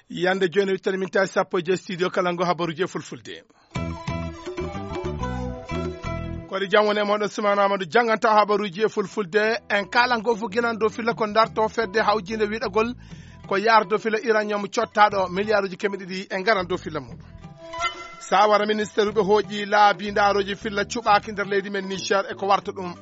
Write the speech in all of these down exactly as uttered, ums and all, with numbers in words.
Yande jooni wittani min tawi sappo e joyi studio kala ngo habaruji e fulfulde. Kodi jam woni e moɗon, Sumaana Amadou jannganta habaruji e fulfulde. En kala ngo fof ginan dow filla ko darto fedde hawjinde wiɗagol ko yardo filla iranium cottaɗo milliarduji keme ɗiɗi e ngaran dow filla muɗum. Sawara ministère ɓe hooƴi laabi ndaroji filla cuɓaki nder leydi men Niger e ko warta ɗum.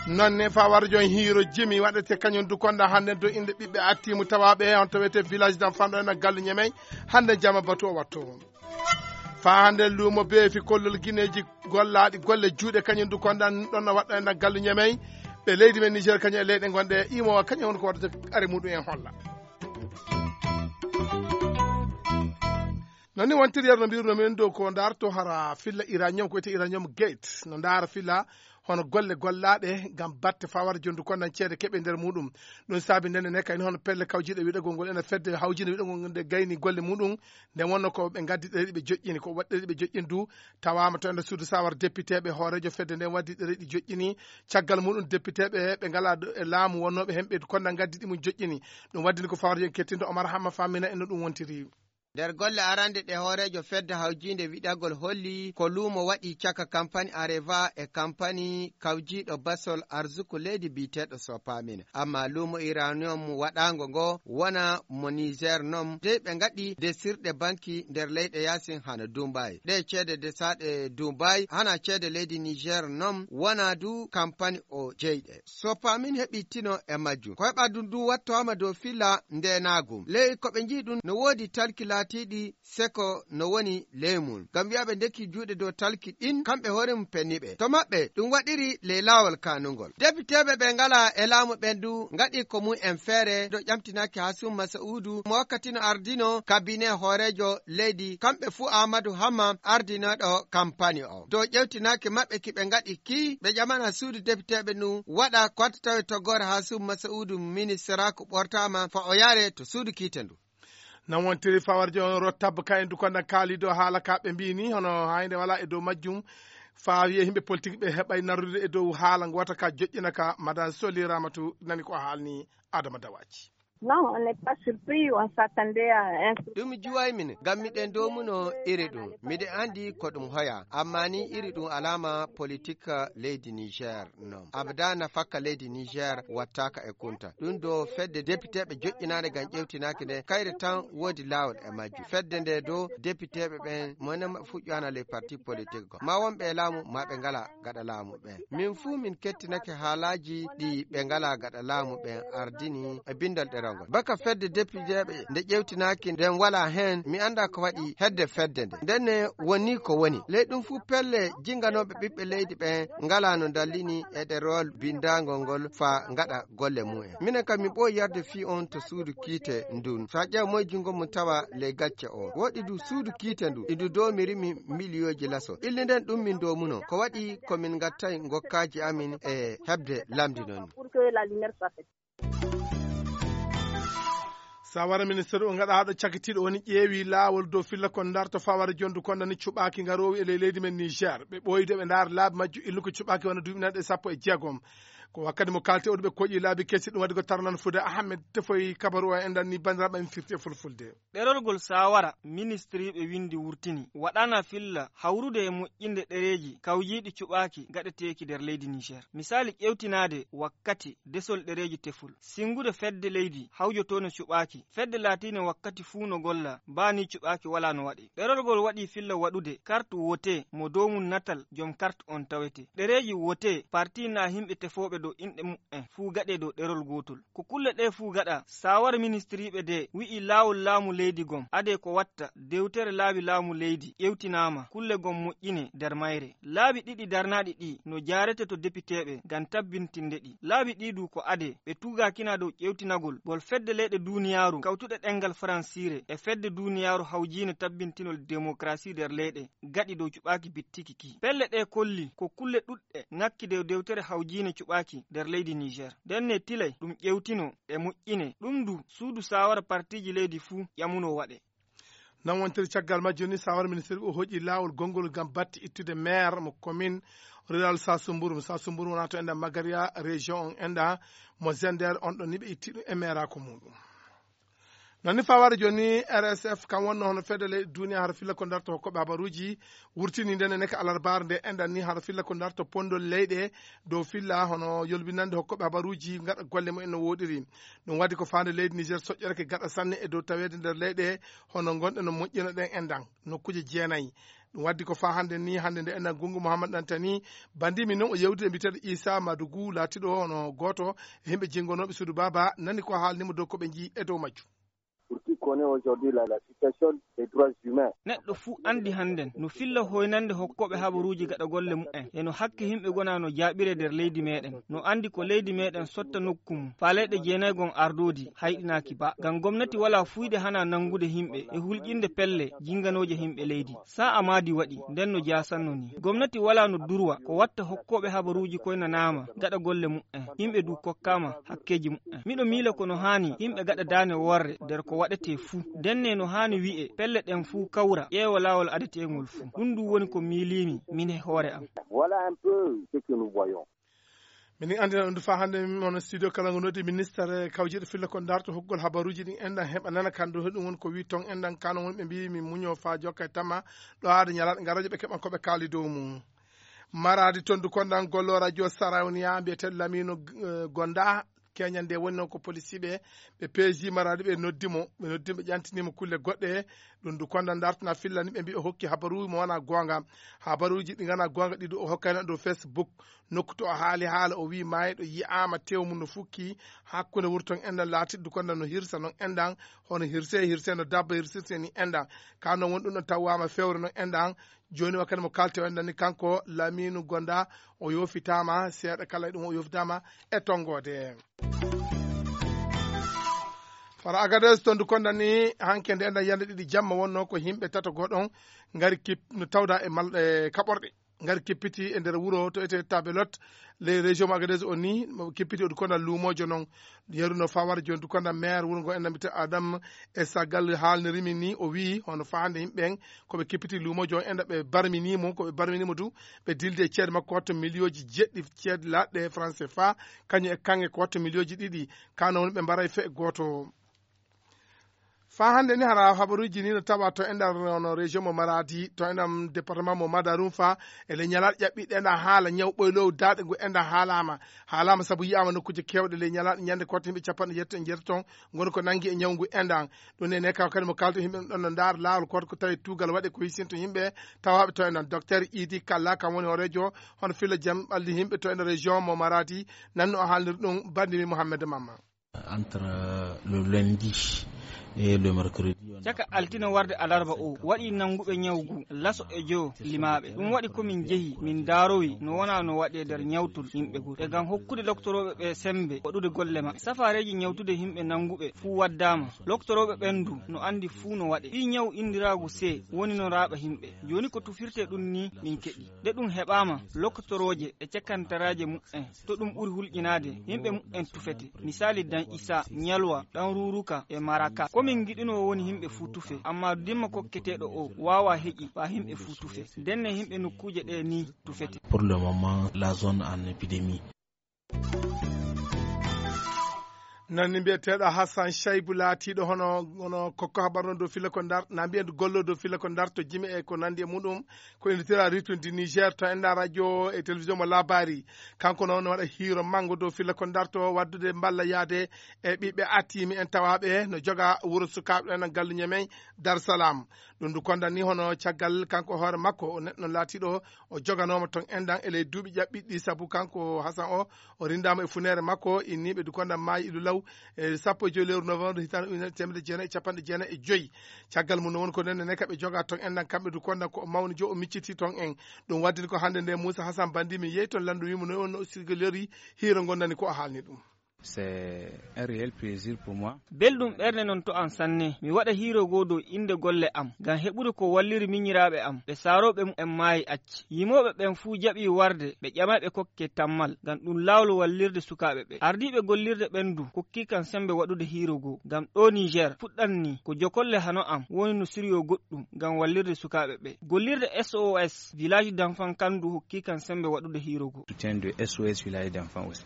Nonne fawara jon hiiro jimi waɗete kañum dukonda hannde dow inɗe ɓiɓɓe attimu tawaɓe on tawete village d'enfant ɗo ena gallu ñamey. Hannde jama batu o watto. Fa hannde luumo beefi kollol gineeji gollaaɗi golle juuɗe kañum dukonda ɗon no waɗɗo ena gallu ñamey. Ɓe leydi men Niger kañum e leyɗe gonɗe imowa kañum woni ko waɗata are muɗum en holla. Noon ni wontiri yerno mbirno min dow ko darto hara filla iranium ko wiyete iranium gate no ndaara filla hono golle gollaaɗe ngam batte fawar jondu konnan ceede keɓe nder muɗum. Ɗum saabi ndene ne kayni hono pelle kawjiɗe wiɗagol ngol ena fedde hawjinde wiɗagol ngol nde gayni golle muɗum. Nde wonno ko ɓe ngaddi ɗereɗi ɓe joƴƴini ko waɗi ɗereɗi ɓe joƴƴini du tawama to enda suudu sawar député ɓe hoorejo fedde nden waddi ɗereɗi joƴƴini. Caggal muɗum député ɓe ɓe ngala e laamu wonnoɓe hen ɓe konna ngaddi ɗi mum joƴƴini. Ɗum waddini ko fawar jon kettinɗo Omar Hamma Famina en no ɗum wontiri. Nder golle arande ɗe hooreejo fedde hawjiinde wiɗagol holli ko luumo waɗi caka kampani Areva e kampani kawjiiɗo basol arsuku leydi biyeteeɗo Sopamine. Amma luumo Iranium waɗaango ngo wona mo Niger non dey ɓe ngaɗi desirɗe banki nder leyɗe yaasin hano Dubai. Ɗe ceede desaaɗe Dubai hana ceede leydi Niger non wona du kampani o jeyɗe. Sopamine heɓi tino e majjum. Ko heɓa ɗum du wattooma dow filla ndeenaagu. Ley ko ɓe njiyi ɗum no woodi talki laatiiɗi seko no woni ley mum. Ngam wi'a ɓe ndekki juuɗe dow talki ɗin, kamɓe hoore mum penni ɓe. To maɓɓe, ɗum waɗiri ley laawol kaanungol. Depiteeɓe ɓe ngalaa e laamu ɓen du ngaɗi ko mum en feere ɗo ƴamtinaaki Hasum Masa'uudu mo wakkati no ardino kabine hooreejo leydi, kamɓe fuu Aamadu Hamma ardinooɗo kampani o. Dow ƴewtinaaki maɓɓe ki ɓe ngaɗi ki, ɓe ƴamana suudu depiteeɓe ndu waɗa ko watta tawi toggoore Hasum Masa'uudu ministeraaku ɓortaama fa o yaare to suudu kiite ndu. Non wontiri fawarjo on rottab kayen du konda kaalido haala ka ɓe mbini hono hayde wala e dow majjum. Fa wiye yimɓe politique ɓe heɓay narrude e dow haala ngo wata ka joƴƴina ka madan soli ramatu nani ko haalni adama dawaji. Non, on n'est pas surpris, on s'attendait à un. Ɗum juway min ngam miɗen domuno iri ɗum miɗen andi ko ɗum hoya amma ni iri ɗum alama politique leydi Niger. Non abada nafakka leydi Niger wattaka e kunta ɗum do fedde depiteɓe joƴƴinade ngam ƴewtinaki nde kayre tan wodi lawol e majju fedde nde do depiteɓe ɓen mone maɓɓe fuɗɗoyana les partis politiques go ma wonɓe e laamu ma ɓe ngala gaɗa laamu ɓen min fuu min kettinake haalaji ɗi ɓe ngala gaɗa laamu ɓen ardini e bindal ɗerewol ngol baka fedde depiteɓe nde ƴewtinaki nden wala hen mi anda ko waɗi hedde fedde nde ndenne woni ko woni ley ɗum fuu pelle jinganoɓe ɓiɓɓe leydi ɓen ngala no dallini e ɗerewol bindagol ngol fa gaɗa golle mumen minen kam min ɓooyi yarde fii on to suudu kiite ndun fa ƴeew moye jungo mum tawa ley gacce o woɗɗi du suudu kiite ndu idu domirimi miliyooji laso illi nden ɗum min domuno ko waɗi ko min gattay gokkaaji amin e heɓde lamndi non. Sawara ministre o gaɗa haɗo cakitiɗo woni ƴeewi laawol dow filla kon darto fawara jondu kondani cuɓaaki ngaroowi e ley leydi men Niger ɓe ɓooyde ɓe ndaara laabi majju illu ko cuɓaaki wona duuɓi nanɗe sappo e jeegom. Ko wakkati mo kalte oɗo ɓe koƴi laabi kesi ɗum waɗi ko tarnan fude ahmed tefoy kabaru o en danni bandiraɓe en firti e fulfulde. Ɗerolgol sawara ministriiɓe winndi wurtini waɗana filla hawrude e moƴƴinde ɗereeji kawjiiɗi cuɓaaki gaɗeteeki nder leydi Niger. Misaali ƴeewtinaade wakkati desol ɗereeji tefol, sinngude fedde leydi hawjotoono cuɓaaki, fedde laatiinde wakkati fuu no golla, baa nii cuɓaaki walaa no waɗee. Ɗerolgol waɗii filla waɗude kart wote mo dow mum natal jom kart on tawetee. Ɗereeji wote parti naa yimɓe tefooɓe dow inɗe muɓɓen fuu gaɗee dow ɗerol gootol. Ko kulle ɗee fuu gaɗaa, saawara ministiriiɓe dee wi'i laawol laamu leydi gom adee ko watta dewtere laawi laamu leydi ƴewtinaama, kulle gom moƴƴinee nder mayre. Laabi ɗiɗi darnaaɗi ɗii no jaarete to depiteeɓe ngam tabbintinde ɗi. Laabi ɗii duu ko adee ɓe tuugaakina dow ƴewtinagol ngol fedde leyɗe duuniyaaru kawtuɗe ɗemngal faransiire e fedde duuniyaaru hawjiine tabbintinol demokarasi nder leyɗe gaɗi dow cuɓaaki bittiki kii. Pelle ɗee kolli ko kulle ɗuɗɗe ŋakki dow dewtere hawjiine cuɓaaki nder leydi Niger. Ndenne tilay ɗum ƴewtinoo e moƴƴinee. Ɗum duu suudu saawara partiiji leydi fuu ƴamunoo waɗee. Nan wontiri caggal majjum ni, sawar ministre o hoƴi laawol gonngol ngam batti ittude maire mo commune rural Sasumburu. Sasumburu wona to enɗa Magaria, région on enɗa mo Zender, on ɗon ni ɓe itti ɗum e maire ko muɗum. Noon ni fawaade jooni ni, R S F kam wonno hono fedde leyɗe duniya hara filla ko darto hokkooɓe habaruuji, wurtini nden ne ka alarbaare nde enɗan ni hara filla ko darto pondol leyɗe dow filla hono yolbinande hokkooɓe habaruuji ngaɗa golle mumen no woɗiri. Ɗum waɗi ko faande leydi Niger soƴƴorake gaɗa sanne e dow taweede nder leyɗe hono ngonɗe no moƴƴino ɗen enɗan nokkuuje jeenayi. Ɗum waɗi ko faa hannde ni, hannde nde enɗan Gungu Muhammad Dantani, bandi min noon o yewtide e mbiteeɗo Isa Madugu, laatiɗo hono gooto e yimɓe jingonooɓe suudu baaba, nani ko haalnimo dow ko ɓe njii e dow majjum. Pour qui connaît aujourd'hui la, la situation des droits humains. Neɗɗo fuu anndi hannden no filla hoynande hokkooɓe habaruuji gaɗa golle mumen, e no hakke yimɓe gona no jaaɓire nder leydi meɗen. No anndi ko leydi meɗen sotta nokku mum, faa leyɗe jeenaygon ardoodi, hayɗinaaki ba. Ngam gomnati walaa fuuyde hana nanngude yimɓe e hulƴinde pelle jinganooje yimɓe leydi. Sa'a maadi waɗi, nden no jaasanno ni. Gomnati walaa no durwa ko watta hokkooɓe habaruuji koynanaama gaɗa golle mumen. Yimɓe du kokkaama hakkeeji mumen. Miɗo miila ko no haani yimɓe gaɗa daane worre nder ko waɗetee fuu. Ndenne no haani wi'e pelle ɗen fuu kawra, ƴeewa laawol adeteengol fuu. Ɗum du woni ko miiliimi min e hoore am. Voilà un peu ce que nous voyons. Minin anndina ɗum faa hannde, min hono studio kala ngo noddi ministre kawjiiɗo filla ko darto hokkugol habaruuji ɗin enɗan heɓa nana kan ɗo heɗum woni ko wi ton enɗan kano woni ɓe mbi min muño faa jokka e tama ɗo aada ñalaaɗo ngarajo ɓe keɓan ko ɓe kaali dow mum. Maradi tondu kondan gollo radio Sarauniya mbiyeteeɗo Lamino, eh, Gonda, keñande woni noon ko policiiɓe ɓe peeji Maradi ɓe noddi mo, ɓe noddi mo ɓe ƴantini mo kulle goɗɗe. Ɗum du kondan dartana fillani ɓe mbi o hokki habaruuji mo wona goonga. Habaruuji ɗi ngana goonga ɗi du o hokkayno dow Facebook. Nokku to o haali haala o wi maayɗo yi'aama tew mum no fukki hakkunde wuro ton enɗan laatiɗo du kondan no hirsa noon enɗan hono hirse hirse no dabba hirsirte ni enɗan. Ka noon woni ɗum ɗon tawwaama fewre noon enɗan. Jooni wakkati mo kalten o enɗan ni kanko Laminu Gonda o yoofitaama seeɗa kala e ɗum o yoofitaama e tonngoode. Fara Agadez tondu kondan ni hanke nde enɗan yande ɗiɗi jamma wonno ko yimɓe tato goɗon ngari kip no tawda e mal e kaɓorɗe. Ngari kippiti e nder wuro to ete Tabelot, les région Agadez o ni mo kippiti o du kondan luumoojo noon. Yeru no fawar jooni du kondan maire wuro ngo enɗan mbite Adam e sagal haalnirimi ni o wi hono faande yimɓe en ko ɓe kippiti luumoojo on enɗan ɓe barmini mo, ko ɓe barmini mo du ɓe dildi e ceede makko watto miliyooji jeɗɗi ceede laaɗɗe franc C F A, kañum e kanŋe ko watto miliyooji ɗiɗi. Kano woni ɓe mbaray fe gooto. Faa hannde ni hara habaruuji ni no tawa to enɗan no région mo Maradi, to enɗan département mo Madarunfa, e le ñalaaɗe ƴaɓɓiɗe enɗan haala ñaw ɓoylow daaɗe ngu enɗan haalaama. Haalaama sabu yi'aama nokkuuje keewɗe le ñalaaɗe ñande kotte yimɓe capanɗe jeetati e jeetati ton ngoni ko nanngi e ñaw ngu enɗan. Ɗum ne ne kaw kadi mo kalto yimɓe ɗon no ndaar laawol koto ko tawi tuugal waɗe ko hisinto yimɓe tawaaɓe to enɗan. Docteur Idi Kalla kam woni hooreejo hono filla jam ɓalli yimɓe to enɗan région mo Maradi, nanno o haalnir ɗum bandimi Mouhamed Mamma. Entre le lundi et le mercredi, on a caka altine warde alarba o waɗi nannguɓe ñawgu laso e joyo limaaɓe. Ɗum waɗi ko min njehi, min ndaarowi no wona no waɗe nder ñawtol yimɓe goo. E ngam hokkude loktorooɓe ɓe semmbe waɗude golle maɓɓe. Safaareeji ñawtude yimɓe nannguɓe fuu waddaama. Loktorooɓe ɓen du no anndi fuu no waɗe. Fii ñaw inndiraagu C woni no raaɓa yimɓe. Jooni ko tufirtee ɗum ni min keɗi. Nde ɗum heɓaama, loktorooje e cakantaraaje muɓɓen to ɗum ɓuri hulƴinaade, yimɓe muɓɓen tufete. Misaali Dan Isa, Ñalwa, Ɗan Ruuruka e Maraka. Ko min ngiɗunoo woni yimɓe fuu tufe, ammaa dimma kokketeeɗo o waawaa heƴi faa yimɓe fuu tufe. Ndenne yimɓe nokkuuje ɗee nii tufete. Pour le moment, la zone en épidémie. Nan ni mbiyeteeɗo Hassan Shaibu laatiiɗo hono, hono kokko habar noon dow filla ko ndar, na mbiyen gollo dow filla ko ndar to jime e ko nandi e muɗum, ko inditira Rythme du Niger to enda radio e télévision mo labari. Kanko noon waɗa hiiro mango dow filla ko ndar to waddude mballa yaade e ɓiɓɓe atimi en tawaɓe no joga wuro sukaaɓe ɗen galluñe men Dar Salam. Ɗum ndu kondan ni hono caggal kanko hoore makko o neɗɗo laatiiɗo o joganooma ton enɗan e ley duuɓi ƴaɓɓiɗi ɗi, sabu kanko Hasan o, o rindaama e funeere makko, inniiɓe du kondan maayi ilu law e sappo e joy lewru novembre hitaande ujunere teemedde jeenayi e capanɗe jeenayi e joy. Caggal mum no woni ko nenne ne kaɓe jogaa ton enɗan kamɓe du kondan ko o mawni jo o micciti ton en. Ɗum waddini ko hannde nde Muusa Hasan Bandi min yehi ton lanndu wiimo no wonno o sirgolori hiiro ngondani ko o haalni ɗum. C'est un réel plaisir pour moi. Belɗum ɓernde non to am sanne. Mi waɗa hiiro goo dow innde golle am, ngam heɓude ko walliri minyiraaɓe am, ɓe saarooɓe mumen maayi acci. Yimooɓe ɓen fuu jaɓii warde, ɓe ƴamay ɓe kokke tammal, ngam ɗum laawol wallirde sukaaɓe ɓe. Ardiiɓe gollirde ɓen du kokkii kam sembe waɗude hiiro goo, ngam ɗoo Niger fuɗɗan nii, ko jokolle hano am woni no siriyoo goɗɗum ngam wallirde sukaaɓe ɓe. Gollirde S O S Village d'Enfants kan du hokkii kam sembe waɗude hiiro goo. Soutien de S O S Village d'Enfants aussi.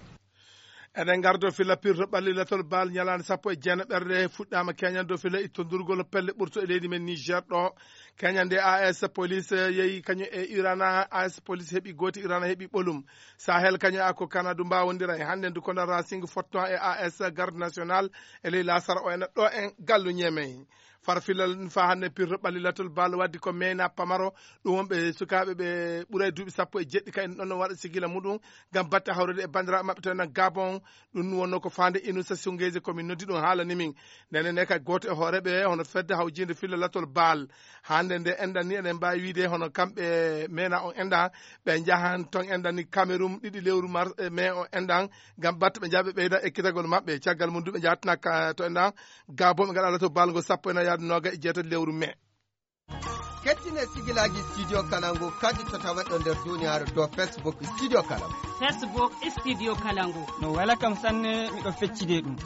Eɗen ngardo filla pirto ɓalli latol bal ñalaande sappo e jeenaɓerde fuɗɗaama keñan dow filla ittondurgol pelle ɓurto e leydi men Niger ɗo. Keñande A S police yehi kañum e Irana, A S police heɓi gooti, Irana heɓi ɓolum. Sahel kañum e Ako Kanadu mbawondira e hannde ndu kona Racing fotto e A S garde national e ley lasara o ena ɗo en gallu ñemey. Far filla ɗum fa hannde pirto ɓalli latol bal waddi ko meyna pamaro, ɗum wonɓe sukaaɓe ɓe ɓuray duuɓi sappo e jeɗɗi kayen ɗon no waɗa sigila muɗum ngam batte hawrude e banndiraaɓe maɓɓe to enen Gabon. Ɗum wonno ko faande Inusa Sungeji ko min noddi ɗum haalani min. Ndenen ne kay gooto e hooreɓe hono fedde hawjinde filla latol bal. Hannde nde enɗan ni eɗen mbaawi wiide hono kamɓe mena on enɗan, ɓe njahan ton enɗan ni Cameroun ɗiɗi lewru mars, e mai on enɗan, ngam batte ɓe njaha ɓe ɓeyda ekkitagol maɓɓe. Caggal mum du ɓe njahatna ka to enɗan Gabon ɓe ngaɗa latol bal ngol sappo e nayi yaade nooga e jeetati lewru mai. Kettine sigilaaji Studio Kalangu kadi to taweɗo nder duniyaaru dow Facebook Studio Kalangu. Facebook Studio Kalangu. No wela kam sanne, miɗo feccide ɗum.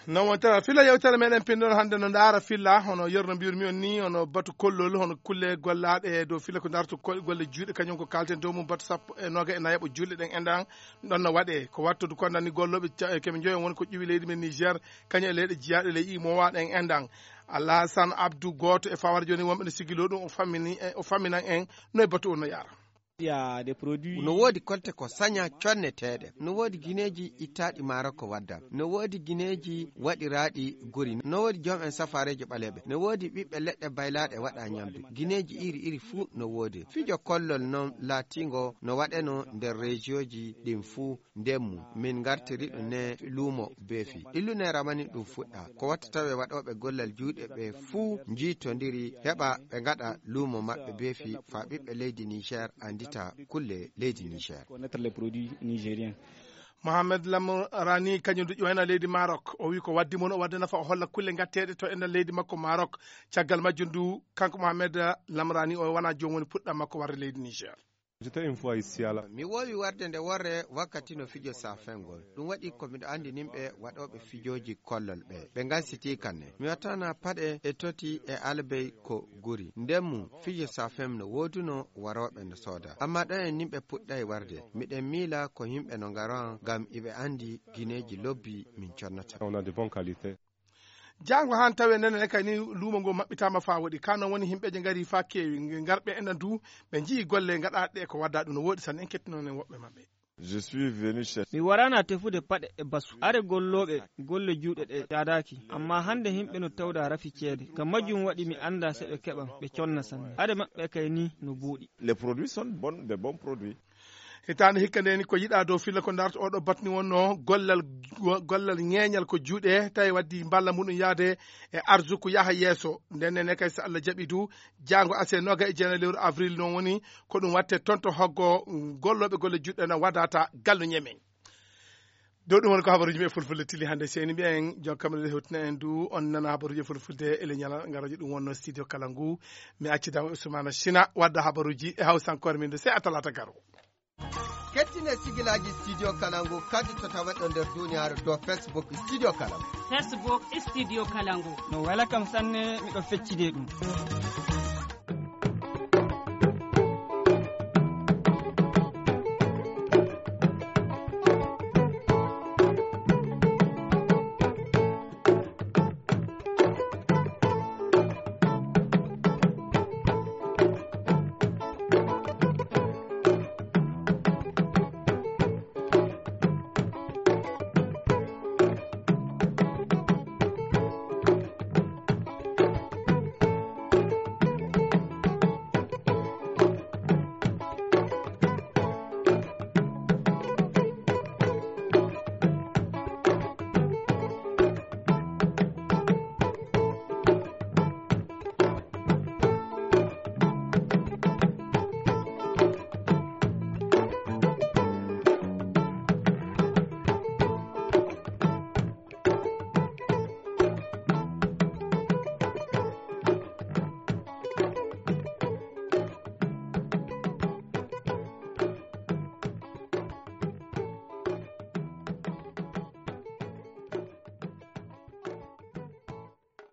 Non wontere filla yewtere meɗen pinndol hannde no ndaara filla hono yerno mbiyurmi on ni, hono batu kollol, hono kulle gollaaɗe e dow filla ko ndarto ko golle juuɗe, kañum ko kalten dow mum batu sappo e nooga e nayaɓo juulɗe ɗen enɗan ɗon no waɗe. Ko wattude ko nani gollooɓe ca-, keme njoyo woni ko ƴuwi leydi men Niger, kañum e leyɗe jiyaaɗe ley imowa ɗen enɗan. Alhasan Abdou gooto e fawar jooni wonɓe no sigiloo ɗum o fammini, o famminan en no e batu on no yaara. Il y a des produits. No woodi kolte ko saña conneteeɗe. No woodi gineeji ittaaɗi maaro ko wadda. No woodi gineeji waɗiraaɗi gori. No woodi joom en safaareeji ɓaleeɓe. No woodi ɓiɓɓe leɗɗe baylaaɗe waɗa ñamdu. Gineeji iri iri fuu no woodi. Fijo kollol noon laatiingo no waɗeno nder rejiyoji ɗin fuu. Ndemmu, min ngartiri ɗum ne luumo beefi. Illu ne ramani ɗum fuɗɗa. Ko watta tawe waɗooɓe gollal juuɗe ɓe fuu njiitondiri heɓa ɓe ngaɗa luumo maɓɓe beefi faa ɓiɓɓe leydi Niger anndita kulle leydi Niger. Connaître les produits nigériens. Mohamed Lamrani kañum du ƴoyna leydi Maroc. O wi ko waddi mon o wadde nafa o holla kulle ngatteeɗe to enɗan leydi makko Maroc. Caggal majjum du kanko Mohamed Lamrani o wona joom woni puɗɗam makko warde leydi Niger. J'étais une fois ici à la. Mi woowi warde nde worre wakkati no fijo safengol. Ɗum waɗi ko miɗo anndi nimɓe waɗooɓe fijooji kollol ɓe. Ɓe ngansitii kanne. Mi wattana paɗe e toti e albey ko guri. Ndemmu fijo safem no wooduno warooɓe no sooda. Amma ɗo en nimɓe puɗɗay warde. Miɗen miila ko yimɓe no ngaran ngam iɓe anndi gineeji lobbi min connata. On a de bonnes qualités. Jaango haan tawi nenen e kay ni luumo ngo maɓɓitaama faa woɗi. Kaa noon woni himɓeeje ngari faa keewi. Ngarɓe enen du, ɓe njii golle ngaɗaaɗe ko wadda ɗum no woɗi sanne. En kettinoon en woɓɓe maɓɓe. Je suis venu chercher. Mi waraana tefude paɗe e basu. Are gollooɓe golle juuɗe ɗe caadaaki. Amma hannde himɓe no tawda rafi ceede. Ngam majjum waɗi mi annda se ɓe keɓan, ɓe conna sanne. Are maɓɓe kay ni no buuɗi. Les produits sont bons, des bons produits. Hitaande hikka ndeni ko yiɗaa dow filla ko ndarta oɗo batni wonno gollal, gollal ŋeeñal ko juuɗe, tawi waddi mballa muɗum yaade e arsuku yaha yeeso. Nden ne kay so Allah jaɓi du, jaango ase nooga e jeenayi lewru avril noon woni ko ɗum watte toon to hoggo gollooɓe golle juuɗe na wadata gallu ñemen. Dow ɗum woni ko habaruuji men e fulfulde tili hannde. Seyni mbiyen joom kamre hewtina en du, on nana habaruuji e fulfulde e leñal ngal radio ɗum wonno studio kala ngu. Mi acci daw Ousmane China wadda habaruuji e hawsankoore min de, sey a talaata garo. Kettine sigilaaji Studio Kalangu kadi to taweɗo nder duniyaaru dow Facebook Studio Kalangu. Facebook Studio Kalangu. No wela kam sanne, miɗo feccide ɗum.